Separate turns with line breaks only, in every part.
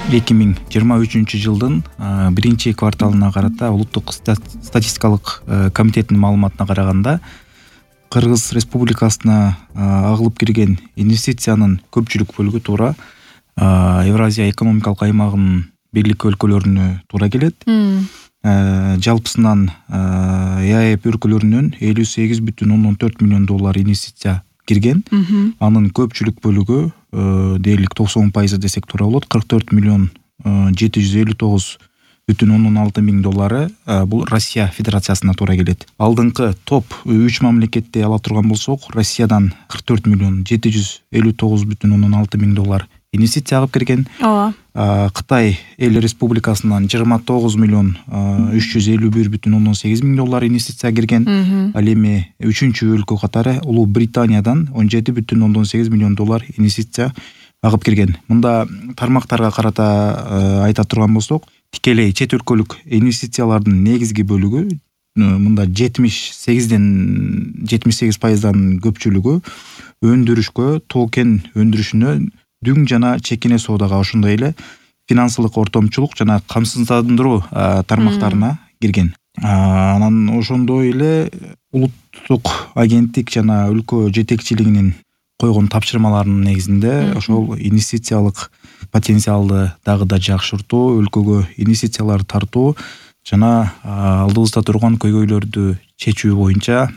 2023 жылдын биринчи кварталына карата улуттук статистикалык комитеттин маалыматына караганда Кыргыз Республикасына агылып кирген инвестициянын көпчүлүк бөлүгү туура Евразия экономикалык аймагынын бирлик өлкөлөрүнө туура келет. Жалпысынан ЕАЭП өлкөлөрүнөн 58,4 миллион доллар инвестиция кирген. Анын көпчүлүк бөлүгү дээрлик 90% десек туура болот. 44 миллион 759,6 миң доллары бул Россия Федерациясына туура келет. Алдыңкы топ 3 мамлекетти ала турган болсок, Россиядан 44 миллион 759,6 миң доллар инвестиция алып кирген. Кытай Эл Республикасынан 29 миллион 351,8 миң доллар инвестиция кирген. Ал эми үчүнчү өлкө катары Улуу Британиядан 17,8 миллион доллар инвестиция агып кирген. Мында тармактарга карата айта турган болсок, тикелей чет өлкөлүк инвестициялардын негизги бөлүгү мында 78%дан көпчүлүгү өндүрүшкө, тоо-кен өндүрүшүнө, дүң жана чекине соодага, ошондой эле финансылык ортомчулук жана камсыздандыруу тармактарына кирген. Анан ошондой эле улуттук агенттик жана өлкө жетекчилигинин койгон тапшырмаларынын негизинде ошол инвестициялык потенциалды дагы да жакшыртуу, өлкөгө инвестициялар тартуу жана алдыбызда турган көйгөйлөрдү чечүү боюнча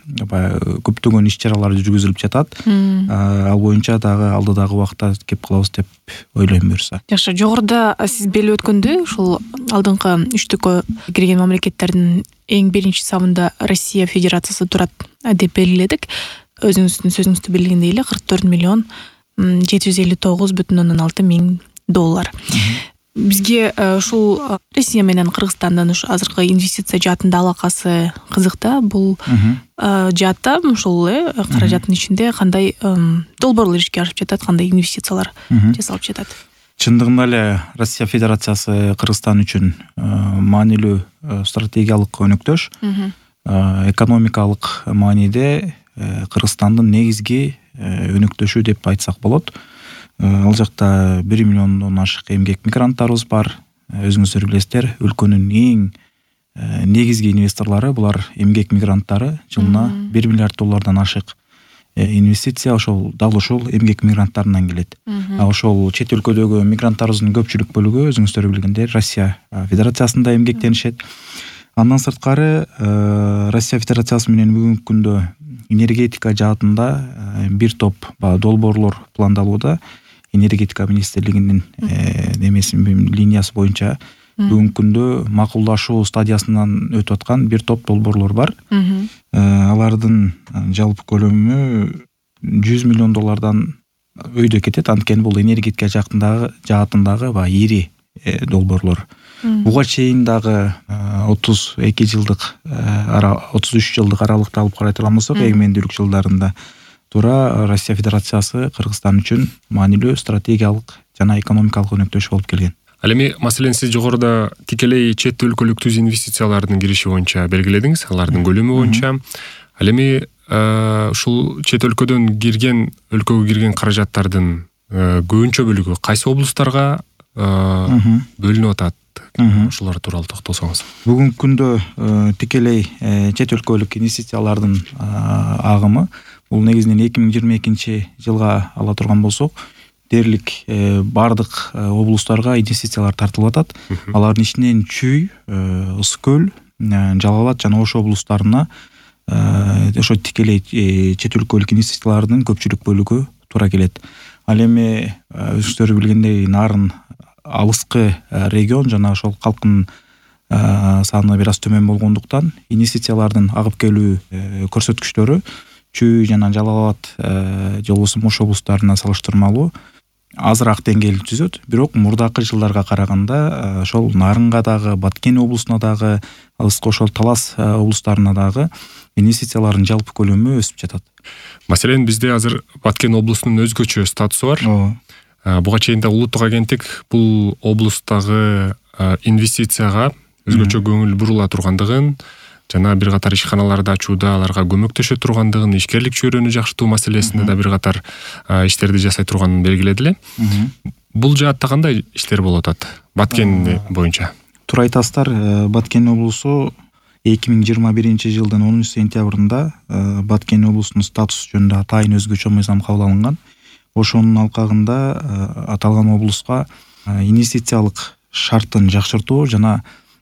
көптөгөн иш-чаралар жүргүзүлүп жатат. Ал боюнча дагы алдыдагы убакта кеп калабыз деп ойлойм буюрса.
Жакшы, жогоруда сиз белип өткөндөй, ушул алдыңкы үчтүккө кирген мамлекеттердин эң биринчи сабында Россия Федерациясы турат деп белгиледик. Өзүңүздүн сөзүңүздө белгилегендей эле 44 миллион 759,6 миң доллар. Бизге ушул Россия менен Кыргызстандын азыркы инвестиция жаатында алакасы кызык да. Бул жаатта ушул каражаттын ичинде кандай долбоорлор ишке ашып жатат, кандай инвестициялар жасалып жатат?
Чындыгында эле Россия Федерациясы Кыргызстан үчүн маанилүү стратегиялык өнөктөш. Экономикалык мааниде Кыргызстандын негизги өнөктөшү деп айтсак болот. Ал жакта 1 миллиондон ашык эмгек мигранттарыбыз бар. Өзүңүздөр билесиздер, өлкөнүн эң негизги инвесторлору булар эмгек мигранттары. Жылына 1 миллиард доллардан ашык инвестиция ошол эмгек мигранттарынан келет. Ошол чет өлкөдөгү мигранттарыбыздын көпчүлүк бөлүгү өзүңүздөр билгендей Россия Федерациясында эмгектенишет. Андан сырткары Россия Федерациясы менен бүгүнкү күндө энергетика жаатында бир топ долбоорлор пландалууда. Энергетика министрлигинин линиясы боюнча бүгүнкү күндө макулдашуу стадиясынан өтүп аткан бир топ долбоорлор бар. Алардын жалпы көлөмү 100 миллион доллардан өйдө кетет. Анткени бул энергетика жаатындагы ири долбоорлор. Буга чейин дагы 33 жылдык аралыкта алып карай турган болсок, эгемендүүлүк жылдарында туура Россия Федерациясы Кыргызстан үчүн маанилүү стратегиялык жана экономикалык өнөктөш болуп келген.
Ал эми маселен сиз жогоруда тикелей чет өлкөлүк түз инвестициялардын кириши боюнча белгиледиңиз, алардын көлөмү боюнча. Ал эми ушул чет өлкөдөн өлкөгө кирген каражаттардын көбүнчө бөлүгү кайсы облустарга бөлүнүп атат? Ушулар тууралуу токтолсоңуз.
Бүгүнкү күндө тикелей чет өлкөлүк инвестициялардын агымы бул негизинен 2022 жылга ала турган болсок, дээрлик бардык облустарга инвестициялар тартылып атат. Алардын ичинен Чүй, Ысык көл, Жалал Абад жана Ош облустарына ошо тикелей чет өлкөлүк инвестициялардын көпчүлүк бөлүгү туура келет. Ал эми өзүңүздөр билгендей нарын алыскы регион жана ошол калктын саны бир аз төмөн болгондуктан инвестициялардын агып келүү көрсөткүчтөрү Чүй жана Жалал Абад же болбосо Ош облустарына салыштырмалуу азыраак деңгээлде түзөт. Бирок мурдакы жылдарга караганда ошол Нарынга дагы, Баткен облусуна дагы, алыскы ошол Талас облустарына дагы инвестициялардын жалпы көлөмү өсүп жатат.
Маселен, бизде азыр Баткен облусунун өзгөчө статусу бар. Буга чейин да улуттук агенттик бул облустагы инвестицияга өзгөчө көңүл бурула тургандыгын жана бир катар ишканаларды ачууда аларга көмөктөшө тургандыгын, ишкерлик чөйрөнү жакшыртуу маселесинде да бир катар иштерди жасай турганын белгиледи эле. Бул жаатта кандай иштер болуп атат Баткен боюнча?
Туура айтасыздар, Баткен облусу 2021-жылдын 10-сентябрында Баткен облусунун статусу жөнүндө атайын өзгөчө мыйзам кабыл алынган. Ошонун алкагында аталган облуска инвестициялык шарттын жакшыртуу жана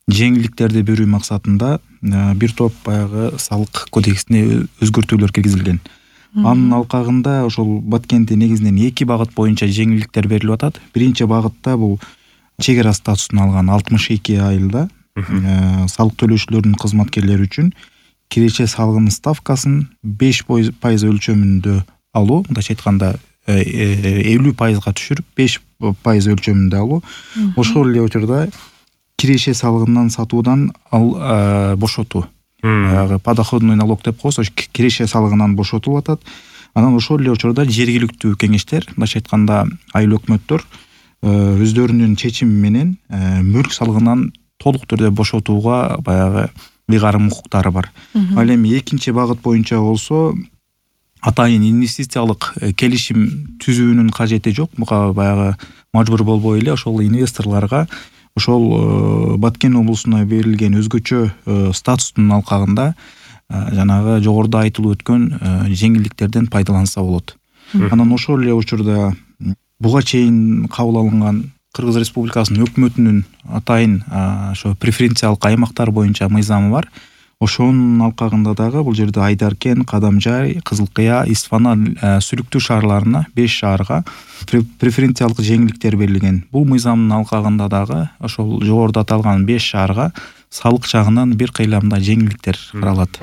жеңилдиктерди берүү максатында бир топ баягы салык кодексине өзгөртүүлөр киргизилген. Анын алкагында ошол Баткенде негизинен 2 багыт боюнча жеңилдиктер берилип атат. Биринчи багытта бул чек ара статусун алган 62 айылда салык төлөөчүлөрдүн кызматкерлери үчүн киреше салыгынын ставкасын 5% өлчөмүндө алуу, мындайча айтканда 50%га түшүрүп 5% өлчөмүндө алуу. Ошол эле учурда киреше салыгынан сатуудан бошотуу. Подоходный налог деп коебуз, киреше салыгынан бошотулуп атат. Анан ошол эле учурда жергиликтүү кеңештер, мындайча айтканда айыл өкмөттөр өздөрүнүн чечими менен мүлк салыгынан толук түрдө бошотууга баягы ыйгарым укуктары бар. Ал эми экинчи багыт боюнча болсо атайын инвестициялык келишим түзүүнүн кажети жок. Буга баягы мажбур болбой эле ошол инвесторлорго ошол Баткен облусуна берилген өзгөчө статустун алкагында жанагы жогоруда айтылып өткөн жеңилдиктерден пайдаланса болот. Анан ошол эле учурда буга чейин кабыл алынган Кыргыз Республикасынын өкмөтүнүн атайын ошо преференциялык аймактар боюнча мыйзамы бар. Ошонун алкагында дагы бул жерде Айдаркен, Кадамжай, Кызыл Кыя, Исфана, Сүлүктүү шаарларына 5 шаарга преференциялык жеңилдиктер берилген. Бул мыйзамдын алкагында дагы ошол жогоруда аталган 5 шаарга салык жагынан бир кыйламда жеңилдиктер каралат.